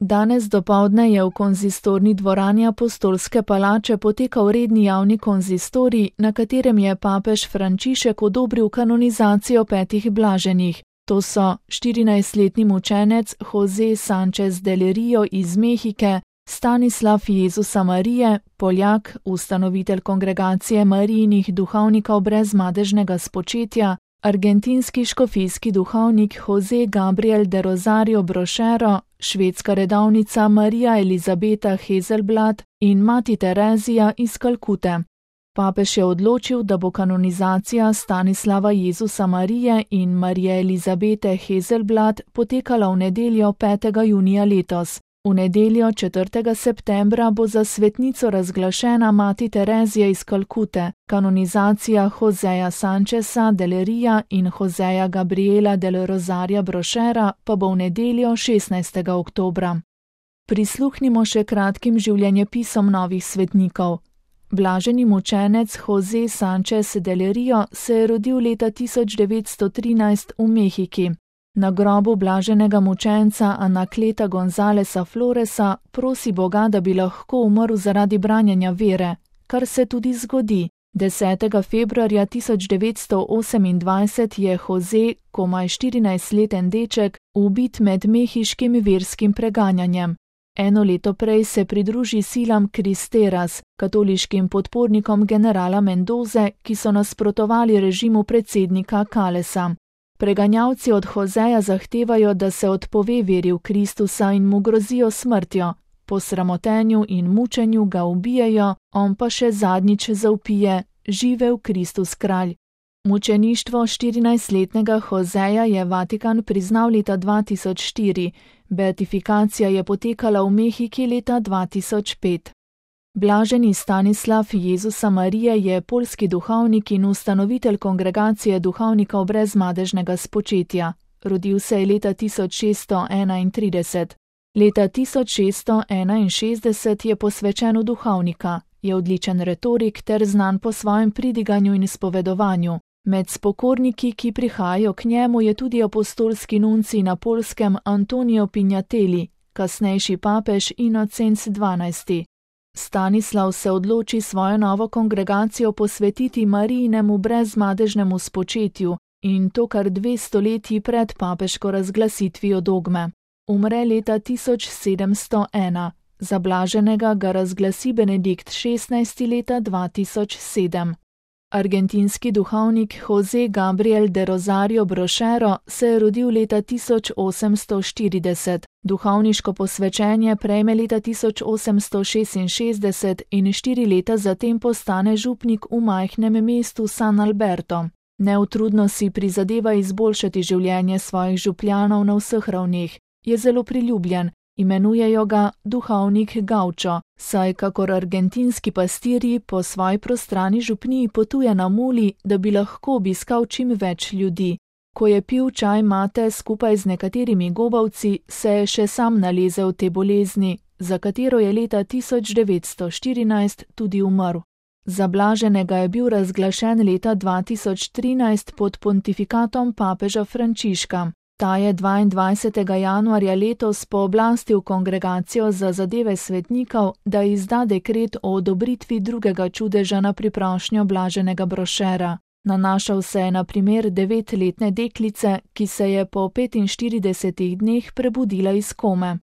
Danes dopoldne je v konzistorni dvorani Apostolske palače potekal redni javni konzistorij, na katerem je papež Frančišek odobril kanonizacijo 5 blaženih. To so 14-letni mučenec José Sánchez del Río iz Mehike, Stanislav Jezusa Marije, Poljak, ustanovitelj kongregacije Marijinih duhovnikov brez madežnega spočetja, argentinski škofijski duhovnik José Gabriel de Rosario Brochero, švedska redovnica Marija Elizabeta Hazelblad in mati Terezija iz Kalkute. Papež je odločil, da bo kanonizacija Stanislava Jezusa Marije in Marije Elizabete Hazelblad potekala v nedeljo 5. junija letos. V nedeljo 4. septembra bo za svetnico razglašena mati Terezija iz Kalkute, kanonizacija Joséja Sáncheza del Ría in Joséja Gabriela del Rosaria Brochera pa bo v nedeljo 16. oktobra. Prisluhnimo še kratkim življenjepisom novih svetnikov. Blaženi mučenec José Sánchez del Río se je rodil leta 1913 v Mehiki. Na grobu blaženega mučenca Anakleta Gonzáleza Floresa prosi Boga, da bi lahko umrl zaradi branjenja vere, kar se tudi zgodi. 10. februarja 1928 je José, komaj 14-leten deček, ubit med mehiškim verskim preganjanjem. Eno leto prej se pridruži silam Cristeras, katoliškim podpornikom generala Mendoze, ki so nasprotovali režimu predsednika Calesa. Preganjavci od Joséja zahtevajo, da se odpove veri v Kristusa in mu grozijo smrtjo. Po sramotenju in mučenju ga ubijejo, on pa še zadnjič zavpije: živel Kristus kralj. Mučeništvo 14-letnega Joséja je Vatikan priznal leta 2004, beatifikacija je potekala v Mehiki leta 2005. Blaženi Stanislav Jezusa Marije je poljski duhovnik in ustanovitelj kongregacije duhovnikov brez madežnega spočetja. Rodil se je leta 1631. Leta 1661 je posvečen v duhovnika, je odličen retorik ter znan po svojem pridiganju in izpovedovanju. Med spokorniki, ki prihajajo k njemu, je tudi apostolski nuncij na Poljskem Antonio Pignatelli, kasnejši papež Inocenc XII. Stanislav se odloči svojo novo kongregacijo posvetiti Marijinemu brezmadežnemu spočetju in to kar 2 stoletji pred papeško razglasitvijo dogme. Umre leta 1701, za blaženega ga razglasi Benedikt XVI leta 2007. Argentinski duhovnik José Gabriel de Rosario Brochero se je rodil leta 1840, duhovniško posvečenje prejme leta 1866 in 4 leta zatem postane župnik v majhnem mestu San Alberto. Neutrudno si prizadeva izboljšati življenje svojih župljanov na vseh ravneh, je zelo priljubljen. Imenujejo ga duhovnik Gaučo, saj kakor argentinski pastirji po svoji prostrani župniji potuje na muli, da bi lahko obiskal čim več ljudi. Ko je pil čaj mate skupaj z nekaterimi gobavci, se je še sam nalezel te bolezni, za katero je leta 1914 tudi umrl. Za blaženega je bil razglašen leta 2013 pod pontifikatom papeža Frančiška. Ta je 22. januarja letos pooblastil kongregacijo za zadeve svetnikov, da izda dekret o odobritvi drugega čudeža na priprošnjo blaženega Brochera. Nanašal se je na primer 9-letne deklice, ki se je po 45 dneh prebudila iz kome.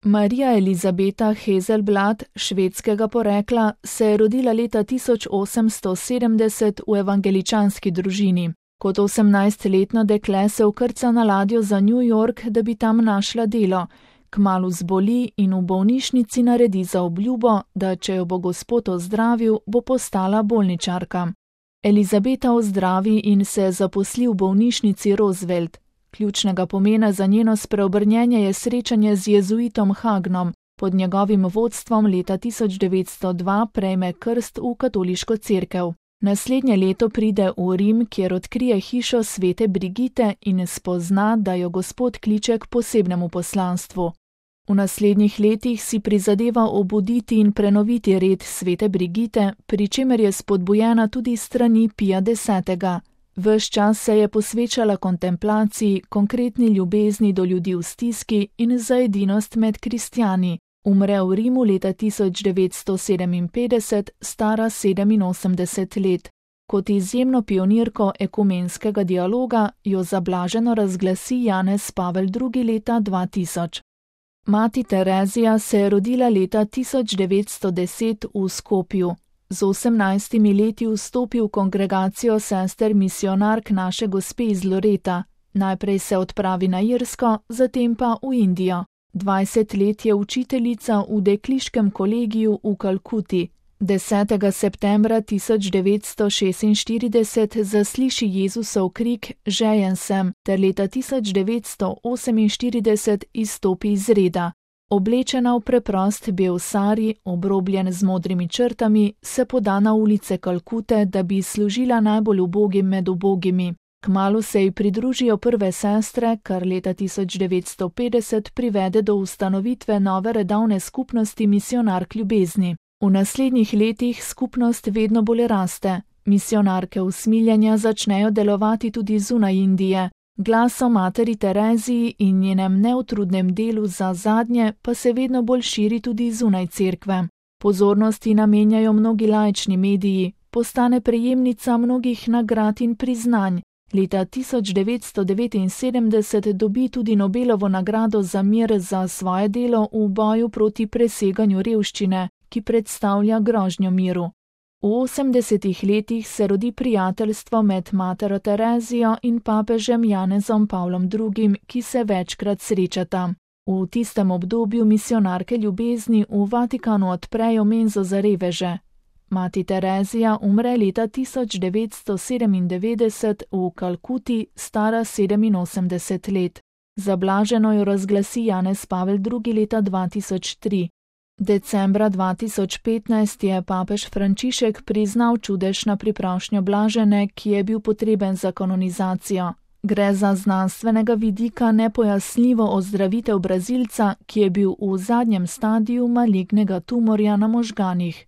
Marija Elizabeta Hazelblad, švedskega porekla, se je rodila leta 1870 v evangeličanski družini. Kot 18-letno dekle se vkrca na ladjo za New York, da bi tam našla delo. Kmalu zboli in v bolnišnici naredi zaobljubo, da če jo bo Gospod ozdravil, bo postala bolničarka. Elizabeta ozdravi in se zaposli v bolnišnici Roosevelt. Ključnega pomena za njeno spreobrnjenje je srečanje z jezuitom Hagnom. Pod njegovim vodstvom leta 1902 prejme krst v katoliško cerkev. Naslednje leto pride v Rim, kjer odkrije hišo svete Brigite in spozna, da jo Gospod kliče k posebnemu poslanstvu. V naslednjih letih si prizadeva obuditi in prenoviti red svete Brigite, pri čemer je spodbujena tudi strani Pija X. Ves čas se je posvečala kontemplaciji, konkretni ljubezni do ljudi v stiski in za edinost med kristjani. Umre v Rimu leta 1957, stara 87 let. Kot izjemno pionirko ekumenskega dialoga jo za blaženo razglasi Janez Pavel II. Leta 2000. Mati Terezija se je rodila leta 1910 v Skopju. Z 18 leti vstopi v kongregacijo sester misionark Naše Gospe iz Loreta. Najprej se odpravi na Irsko, zatem pa v Indijo. 20 let je učiteljica v dekliškem kolegiju v Kalkuti. 10. septembra 1946 zasliši Jezusov krik Žejen sem, ter leta 1948 izstopi iz reda. Oblečena v preprost bel sari, obrobljen z modrimi črtami, se poda na ulice Kalkute, da bi služila najbolj ubogim med ubogimi. Kmalu se ji pridružijo prve sestre, kar leta 1950 privede do ustanovitve nove redovne skupnosti misionark ljubezni. V naslednjih letih skupnost vedno bolj raste. Misionarke usmiljenja začnejo delovati tudi zunaj Indije. Glas o materi Tereziji in njenem neutrudnem delu za zadnje pa se vedno bolj širi tudi zunaj cerkve. Pozornosti namenjajo mnogi laični mediji, postane prejemnica mnogih nagrad in priznanj. Leta 1979 dobi tudi Nobelovo nagrado za mir za svoje delo v boju proti preseganju revščine, ki predstavlja grožnjo miru. V 80 letih se rodi prijateljstvo med matero Terezijo in papežem Janezom Pavlom II., ki se večkrat srečata. V tistem obdobju misionarke ljubezni v Vatikanu odprejo menzo za reveže. Mati Terezija umre leta 1997 v Kalkuti, stara 87 let. Za blaženo jo razglasi Janez Pavel II. Leta 2003. Decembra 2015 je papež Frančišek priznal čudež na priprošnjo blažene, ki je bil potreben za kanonizacijo. Gre za znanstvenega vidika nepojasnljivo ozdravitev Brazilca, ki je bil v zadnjem stadiju malignega tumorja na možganih.